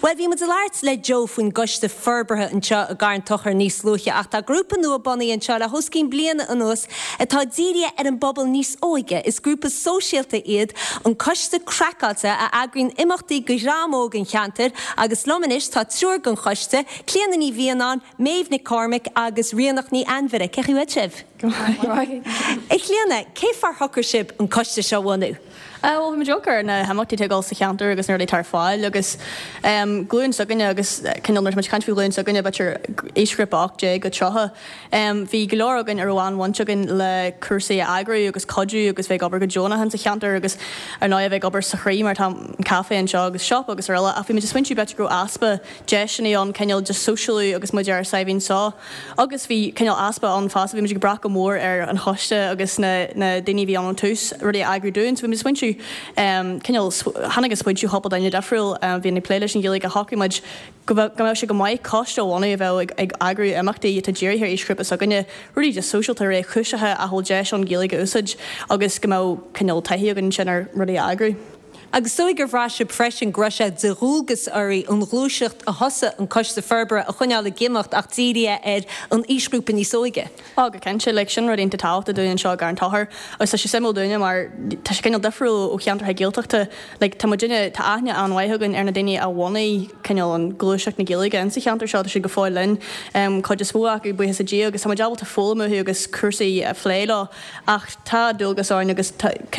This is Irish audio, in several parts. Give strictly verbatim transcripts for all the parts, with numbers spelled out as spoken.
Well bhí muid ag labhairt le Joe faoin gcoiste forbartha anseo i gCarn Tochair níos luaithe ach tá grúpa nua bunaithe anseo le hos cionn bliana anuas atá dírithe ar an bpobal níos óige. Is grúpa sóisialta iad an Coiste Craiceáilte a eagraíonn imeachtaí go dhream óg an cheantair agus liom anois tá triúr den choiste, Clíona Ní Mhianáin, Méabh Nic Cormaic agus Ríonach Ní Ainmhire cén chaoi a bhfuil sibh. A Chlíona, cén fáth ar shocraigh sibh an coiste seo a bhunú. Well bhí muid ar na himeachtaí atá ag dul sa cheantar agus na rudaí atá ar fáil agus um, glúin s'againne agus cineál nuair muid caint faoi ghlúin s'againne b'fhéidir aoisghrúpa ocht déag go tríocha. Um, bhí go leor againn a raibh an-bhaint againn le cúrsaí a eagrú agus cuidiú agus bheith ag obair go deonach sa cheantar agus ar ndóigh bheith ag obair sa chroí mar tá an café anseo agus shop agus araile ach bhí muid ag smaointiú b'fhéidir go raibh easpa deiseanna ann cineál just sóisialú agus muid ar saibhín seo. Agus bhí cineál easpa ann fosta bhí muid ag brath go mór ar an choiste agus na, na daoine bhí ann tús rudaí a eagrú dúinn, so bhí muid ag smaointiú um, cineál tháinig an smaointiú cúpla duine difriúil um, bhí na plé leis an Ghaeilge a shocraigh muid go mbeadh sé go maith coiste a bhunú a bheith ag, ag eagrú imeachtaí atá dírithe ar aoisghrúpa s'againne, rudaí just sóisialta réchúiseacha a bhfuil deis an Ghaeilge a úsáid agus go mbeadh cineál taithí againn sin ar rudaí a eagrú. Agus dóigh gur bhraith sibh freisin go raibh sé de dhualgas oraibh an ghluaiseacht a thosaigh an coiste forbartha a choinneáil ag imeacht ach dírithe ar an aoisghrúpa níos óige. Á go cinnte le sin rud iontach tábhachtach dúinn anseo i gCarn Tochair agus tá sé suimiúil dúinne mar tá sé cineál difriúil ó cheantartha Gaeltachta like, tá duine tá aithne an-mhaith againn ar na daoine a bhunaigh cineál an ghluaiseacht na Gaeilge insa cheantar seo tá siad go fóill linn um, cuid is mó acu buíochas le Dia agus tá muid ábalta foghlaim uathu agus cúrsaí a phlé leo ach tá dualgas orainn agus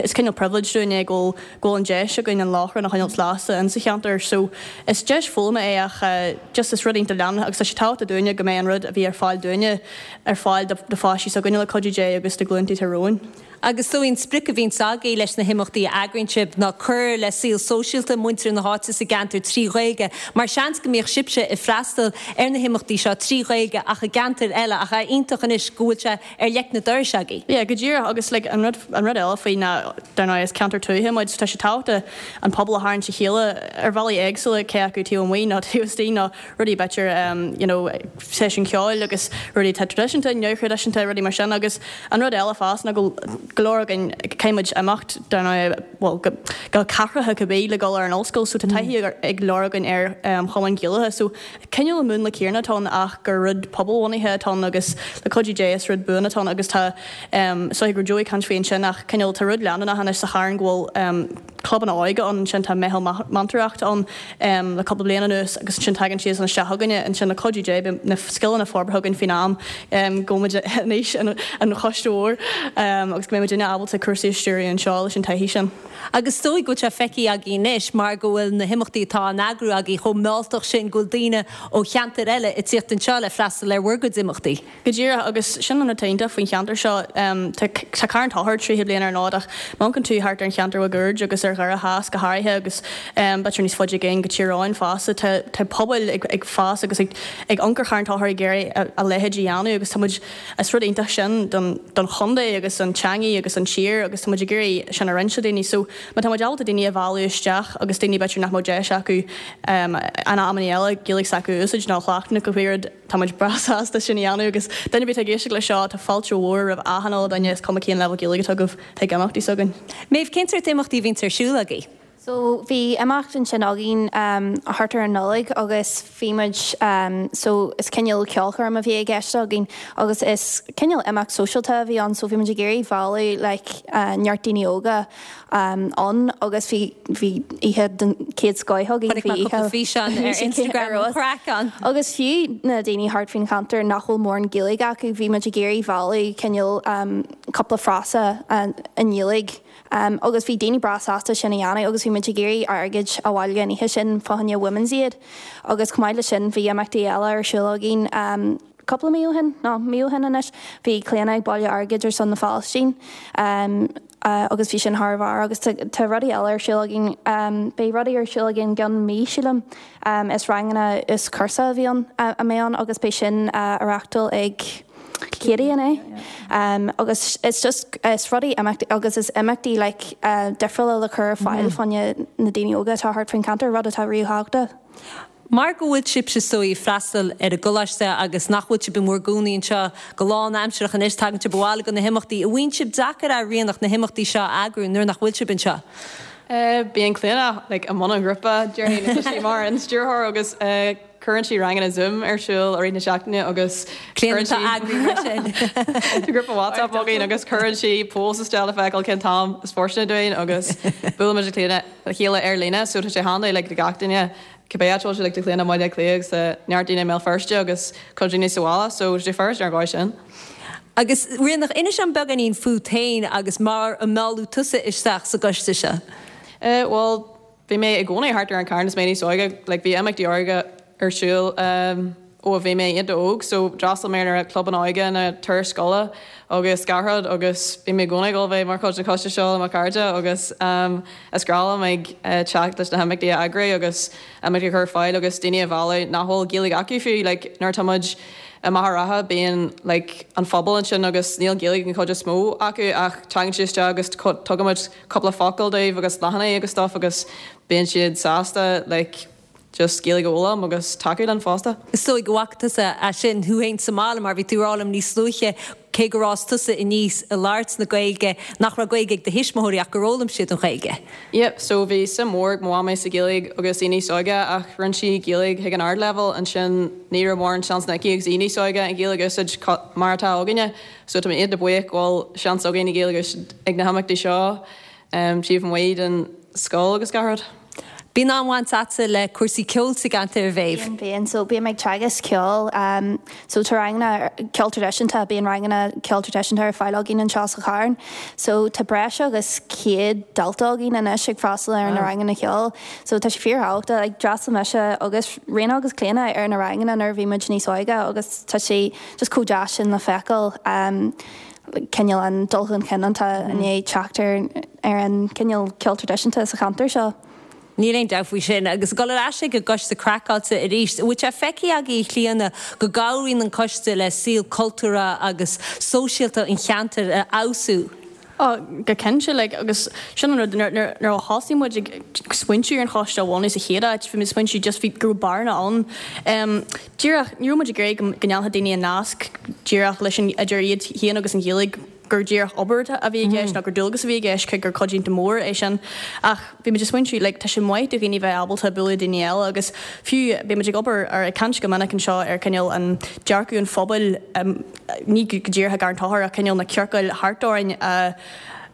is cineál privilege dúinn é go go an deis againn an láithreán a choinneáil lasta insa cheantar so is deis foghlama é ach uh, just is rud iontach leanúnach agus tá sé tábhachtach dúinne go mbeidh an rud a bhí ar fáil dúinne ar fáil do pháistí s'againne le cuidiú Dé agus do ghlúnta romhainn. Agus so an sprioc a bhíonn agaibh leis na himeachtaí a eagraíonn sibh ná cur le saol sóisialta muintir na háite sa gceantar trí Ghaeilge, mar seans go mbíodh sibhse ag freastal ar na himeachtaí seo trí Ghaeilge ach i gceantar eile ach é iontach anois go bhfuil sé ar leic na dorais agaibh. Yeah, go díreach agus like, an rud an rud eile faoi ná dar ndóigh is ceantar tuaithe muid tá sé tábhachtach an pobal a tharraingt a chéile ar bhealaí éagsúla cé acu taobh amuigh nó taobh istigh nó rudaí b'fhéidir um, you know, seisiún ceoil agus rudaí tá traidisiúnta, neamhthraidisiúnta rudaí mar sin agus an rud eile fosta ná go go leor againn caithfimid imeacht dar ndóigh well, go, go cathracha cibé le dul ar an ollscoil so tá taithí ag leor againn ar um, chumainn Ghaelacha so cineál an múnla céanna atá ann ach gur rud pobalbhunaithe atá ann agus le cuidiú Dé is rud buan atá ann agus tá um, so gur Joey caint faoi sin ach cineál tá rud leanúnach anois sa Charn go bhfuil um, clubanna óige ann sin tá meitheal meantóireachta ann um, le cúpla bliain anuas agus sin tagann siad an isteach againne ansin le cuidiú Dé na scileanna forbartha againn faoin am um, go muid anois an, an choiste mhór um, agus go mbeidh muidne ábalta cúrsaí a stiúradh anseo leis an taithí sin. Agus dóigh go bhfuil sé feicthe agaibh anois mar go bhfuil na himeachtaí atá á n-eagrú agaibh chomh mealltach sin go bhfuil daoine ó cheantar eile ag tíocht anseo le freastal ar bhur gcuid imeachtaí. Go díreach agus sin an iontach faoin cheantar seo um, tá Carn Tochair tríocha bliain ar an fhód ach má amharcann tú thart ar an cheantar máguaird agus ar Dhoire Theas go háirithe agus um, b'fhéidir níos faide i gcéin go Tír Eoghain fosta tá tá pobail ag, ag fás agus ag, ag amharc ar Charn Tochair ag iarraidh a, a leithéid a dhéanamh agus tá muid is rud iontach sin don, don chontae agus an teanga agus an tír agus tá muid ag iarraidh sin a roinnt le daoine so má tá muid ábalta daoine a mhealladh isteach agus daoine b'fhéidir nach mbeadh deis acu um, an amanna eile Gaeilge s'acu úsáid nó chleachtadh go rud tá muid breá sásta sin a dhéanamh agus duine bit ag éisteacht le seo tá fáilte mhór roimh achan duine is cuma cén level Gaeilge atá agaibh chuig imeachtaí s'againn. Méabh cén sórt imeachtaí a bhíonn ar siúl agaibh. So bhí imeacht ansin againn um, thart ar an Nollaig agus bhí muid um, so is cineál ceolchoirm a bhí i gceist againn agus is cineál imeacht sóisialta a bhí ann so bhí muid ag iarraidh mealladh like, uh, neart daoine óga um, ann agus bhí bhí oíche den chéad scoth againn Chonaic mé cúpla físeán ar Instagram an craic ann. Agus fiú na daoine thart faoin cheantar nach bhfuil mórán Gaeilge acu bhí muid ag iarraidh mealladh cineál um, cúpla frása uh, i nGaeilge. Um, agus bhí daoine breá sásta sin a dhéanamh agus bhí muid ag iarraidh airgead a bhailiú an oíche sin fá choinne Women's Aid. agus chomh maith le sin bhí imeachtaí eile ar siúl againn um, cúpla mí ó shin nó mí ó shin anois bhí Clíona ag bailiú airgid ar son na Palaistín. Um, uh, agus bhí sin thar barr agus tá rudaí eile ar siúl againn um, beidh rudaí ar siúl againn gan mí sílim um, is ranganna is cúrsa a bhí ann uh, a mé an agus beidh sin uh, á reáchtáil ag Katie an é. Um, agus it's just is rudaí imeachtaí agus is imeachtaí like, uh, difriúla le cur fáil mm -hmm. fá choinne na daoine óga atá thart faoin cheantar rud atá ríthábhachtach. Mar go bhfuil sibhse so ag freastal ar an gcoláiste agus nach bhfuil sibh in bhur gcónaí anseo go lánaimseartha anois tagann sibh abhaile go na himeachtaí, an mbíonn sé deacair a Ríonach na himeachtaí seo a eagrú nuair nach bhfuil sibh anseo. Uh, Bíonn Clíona like, i mbun an ghrúpa déarfainn sí mar an stiúrthóir agus uh, cuireann sí ranganna Zoom ar siúl i rith na seachtaine agus Clíona sin. grúpa WhatsApp againn agus cuireann sí post isteach le feiceáil cén t-am is fóirsteanach dúinn agus buailimid Clíona le chéile ar líne so tá sé handa le gach duine cibé sé le Clíona Baile Átha Cliath agus neart daoine i mBéal Feirste agus cuid daoine sa bhaile so sé first ar gáid sin. Agus Ríonach inis dom beagáinín fút féin agus mar a mealladh tusa isteach sa gcoiste seo. Uh, well, bhí mé i gcónaí thart ar an Charn is mé níos óige, like, bhí imeachtaí óige ar siúl um, ó bhí mé an-óg, so d'fhreastail mé ar club an óige na turais scoile agus gach rud agus bhí mé i gcónaí ag bheith mar chuid den choiste seo le mo chairde agus um, is breá liom ag uh, teacht leis na himeachtaí a eagrú agus imeachtaí a chur ar fáil agus daoine a mhealladh nach bhfuil Gaeilge acu fiú, like, nuair atá muid i Machaire Rátha bíonn like, an phobal ansin agus níl Gaeilge an chuid is mó acu ach tagann siad isteach agus tugaimid cúpla focal dóibh agus leathanaigh agus stuff agus bíonn siad sásta like, just Gaeilge a fhoghlaim agus tacú linn fosta. Is dóigh go bhfaca tusa é sin thú féin sa mbaile mar bhí tú ag rá liom níos luaithe cé gur fhás tusa aníos ag labhairt na Gaeilge nach raibh Gaeilge ag do thuismitheoirí ach gur fhoghlaim siad an Ghaeilge. Yep, so bhí suim mhór ag mo mhaimí sa Ghaeilge agus í níos óige ach rinne sí Gaeilge ag an ardleibhéal ansin ní raibh mórán seans aici agus í níos óige an Ghaeilge a úsáid mar atá againne, so tá mé iontach buíoch go bhfuil seans againn an Ghaeilge a úsáid ag na himeachtaí seo um, taobh amuigh den scoil agus gach rud. Bíonn an-bhaint agatsa le cúrsaí ceoil sa gceantar a Mhéabh. Bíonn bíonn so bím ag teagasc ceoil um, so tá ranganna ceol traidisiúnta bíonn ranganna ceol traidisiúnta ar fáil againn anseo sa Charn. So tá breis agus céad dalta againn anois ag freastal ar na ranganna ceoil. So tá sé fíorthábhachtach like, d'fhreastail mise agus Ríona agus Clíona ar na ranganna nuair a bhí muid níos óige agus tá sé just chomh deas sin le feiceáil. Um, cineál an dul chun cinn atá i ndiaidh teacht ar ar an cineál ceol traidisiúnta sa cheantar seo. Níl aon dabht faoi sin agus dul ar ais go gCoiste Craiceáilte arís, bhfuil sé feicthe agaibh a Chlíona go gcabhraíonn an coiste le saol cultúrtha agus sóisialta an cheantair a fheabhsú. Oh, go cinnte like, agus sin an rud nuair a thosaigh muid ag smaointiú ar an choiste a bhunú sa chéad áit, bhí muid smaointiú just bhí go raibh bearna ann. Um, díreach ní raibh muid ag iarraidh go ndéanfadh daoine an nasc díreach leis an idir iad féin agus an Ghaeilge gur díreach obair a bhí i gceist nó gur dualgas a bhí i gceist cé gur cuid iontach mór é sin ach bhí muid ag smaointiú like, tá sé maith do dhaoine bheith ábalta bualadh daoine eile agus fiú bhí muid ag obair ar ag caint go minic anseo ar cineál an dearcadh an phobail um, ní go díreach i gCarn Tóchair ach cineál na ciorcail thart orainn uh,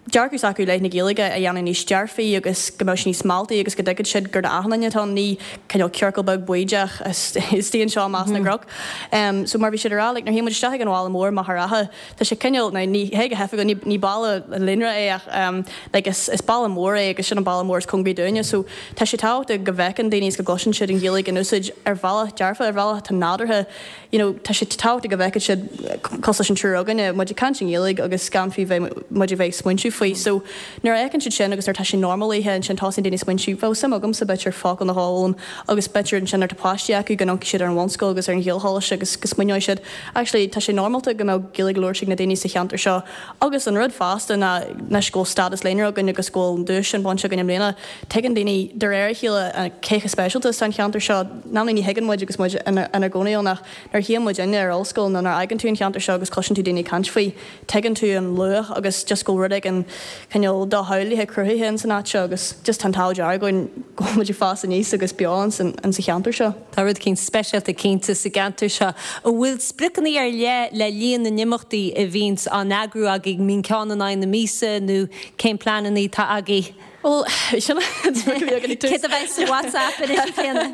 dearcadh s'acu i leith na Gaeilge a dhéanamh níos dearfaí agus go mbeadh níos mealltaí agus go dtuigfeadh siad gur d'achan duine atá ní cineál ciorcal beag baoideach istigh anseo i measc na gcnoc. Um, so mar bhí siad ará, like, nuair théann muid isteach ag an bhaile mór Machaire Rátha, tá sé cineál na ní hé go hefa ní, ní baile líonra é ach um, like, is, is baile mór é agus sin an baile mór is cóngaraí dúinne, so tá sé tábhachtach go bhfeiceann daoine is go gcloiseann siad an Ghaeilge in úsáid ar bhealach dearfa ar bhealach atá nádúrtha you know, tá sé tábhachtach go bhfeiceann siad cosúil leis an triúr againne muid ag caint i nGaeilge agus gan fiú bheith muid a bheith smaointiú faoi. So nuair a fheiceann siad sin agus nuair tá sé normalaithe ansin tosaíonn daoine smaointiú bheadh suim agamsa b'fhéidir focal nó dhó a fhoghlaim agus b'fhéidir ansin nuair atá páistí acu go n-amharcfaidh siad ar an bhunscoil agus ar an Ghaelcholáiste agus go smaoineoidh siad actually tá sé normálta go mbeadh Gaeilge labhairt ag na daoine sa cheantar seo agus an rud fosta ná anois go bhfuil stádas líonra againn agus go bhfuil an duais sin bainte againn i mbliana tuigeann daoine de réir a chéile cé chomh speisialta is an cheantar seo ná ní thuigeann muid agus muid ina gcónaí ann ach nuair a théann muid inne ar ollscoil nó nuair a fhaigheann tú an cheantar seo agus cloiseann tú daoine ag caint faoi tuigeann tú an luach agus just go rud éigin cineál dochreidte cruthaithe in san áit seo agus just tá an t-ádh dearg againn go bhfuil muid ag fás aníos agus beo in san sa cheantar seo. Tá rud éicint speisialta cinnte sa gceantar seo. An bhfuil spriocanna ar leith le líon na n-imeachtaí a bhíonns á n-eagrú agaibh mbíonn ceann in aghaidh na míosa nó cén pleananna atá agaibh? Well sin Cé a bheidh sa WhatsApp anois céanna?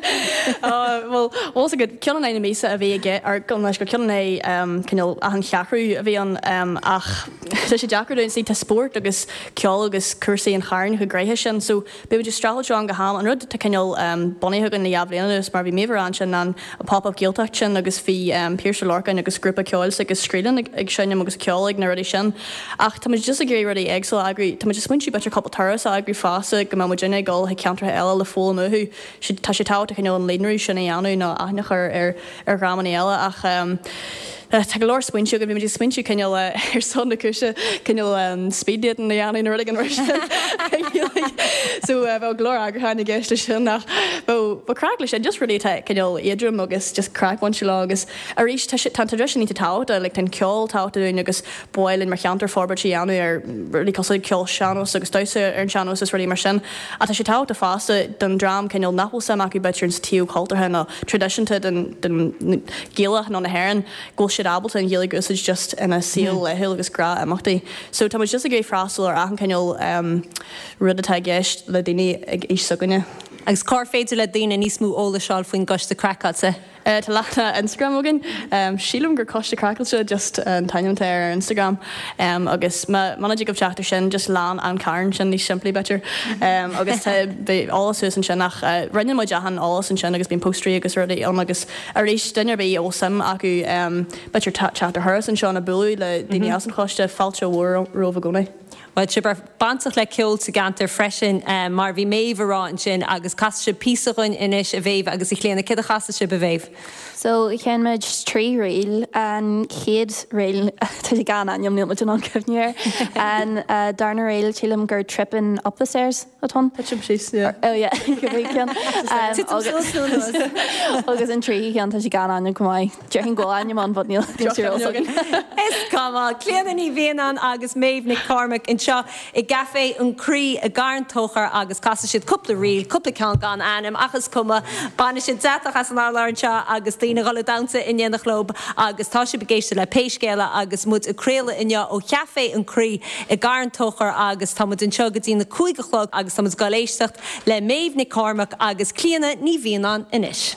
Well well go ceann in aghaidh na míosa a bhí aige ar go leis go ceann é cineál achan cheathrú a bhí an ach tá sé deacair dúinn tá spórt agus ceol agus cúrsaí an Chairn chomh gnoitheach sin so beidh muid streachailt an go ham an rud tá cineál bunaithe againn le dhá bhliain anuas mar bhí Méabh ansin an pop-up Gaeltacht sin agus bhí Pearse Ó Lorcáin agus grúpa ceoil agus Scrílan ag seinm agus ceol ag na rudaí sin ach tá muid just ag iarraidh rudaí éagsúla a eagrú tá muid ag smaointiú b'fhéidir cúpla turas a eagrú fosta go mbeidh muid ag dul chuig ceantracha eile le foghlaim uathu tá sé tábhachtach cineál an líonrú sin a dhéanamh nó aithne a chur ar ar dhreamanna eile ach um, Tá go leor smaointe againn, bhí muid ag smaointiú cineál ar son na cúise, cineál speed dating a dhéanamh nó rud éigin mar sin. So bheadh go leor eagrúcháin i gceist leis sin ach bheadh bheadh craic leis sin, just rudaí atá cineál éadrom agus just craic bainte leo agus arís tá sé tá an traidisiún iontach tábhachtach, like tá an ceol tábhachtach dúinn agus ba mhaith linn mar cheantar forbairt a dhéanamh ar rudaí cosúil le ceol sean-nós agus damhsa ar an sean-nós is rudaí mar sin. Ach tá sé tábhachtach fosta don dream cineál nach bhfuil suim acu b'fhéidir sa taobh cultúrtha nó traidisiúnta den den Ghaelach nó na hÉireann go bhfuil siad ábalta an Ghaeilge a úsáid just ina saol laethúil agus gnáthimeachtaí. So tá muid just ag iarraidh freastal ar achan cineál um, rud atá i gceist le daoine ag aois s'againne. Agus cár féidir le daoine níos mó eolais a fháil faoin gCoiste Craiceáilte? Uh, tá leathanach Instagram againn. Um, sílim gur Coiste Craiceáilte just an t-ainm atá ar Instagram. Um, agus muna dtig teacht air sin just lean an Carn sin níos simplí b'fhéidir. Um, agus tá beidh eolas suas ansin ach uh, roinneann muid achan eolas ansin agus bíonn póstaerí agus rudaí ann agus arís duine ar bith a bhfuil suim acu um, b'fhéidir teacht ar thuras anseo nó bualadh le daoine as an choiste fáilte mhór romhaibh i gcónaí. Well sibh bainteach le ceol sa gceantar freisin um, mar bhí Méabh ag rá ansin agus casfaidh sibh píosa dhúinn anois a Mhéabh agus a Chlíona cad a chasfaidh sibh a Mhéabh. So sheinn muid trí ríl an chéad ríl tá sé gan ainm níl muid in ann cuimhneamh air. An uh, darna ríl sílim gur tripping up the stairs atá ann. Tuitim síos, yeah. Oh yeah, ceann. Um, agus agus an tríú ceann tá sé gan ainm go maith. Déarfainn go bhfuil ainm ann but níl níl sé againn. Is cuma Clíona Ní Mhianáin agus Méabh Nic Cormaic anseo i gCaifé an Chroí i gCarn Tóchair agus casfaidh siad cúpla ríl, cúpla ceann gan ainm ach is cuma bainfidh siad deatach as an urlár anseo agus daoine ag dul ag damhsa in éineacht leo agus tá sibh ag éisteacht le Pé Scéal É agus muid ag craoladh inniu ó Chaifé an Chroí i gCarn Tóchair agus tá muid anseo go dtí na cúig a chlog agus tá muid ag éisteacht le Méabh Nic Cormaic agus Clíona Ní Mhianáin anois.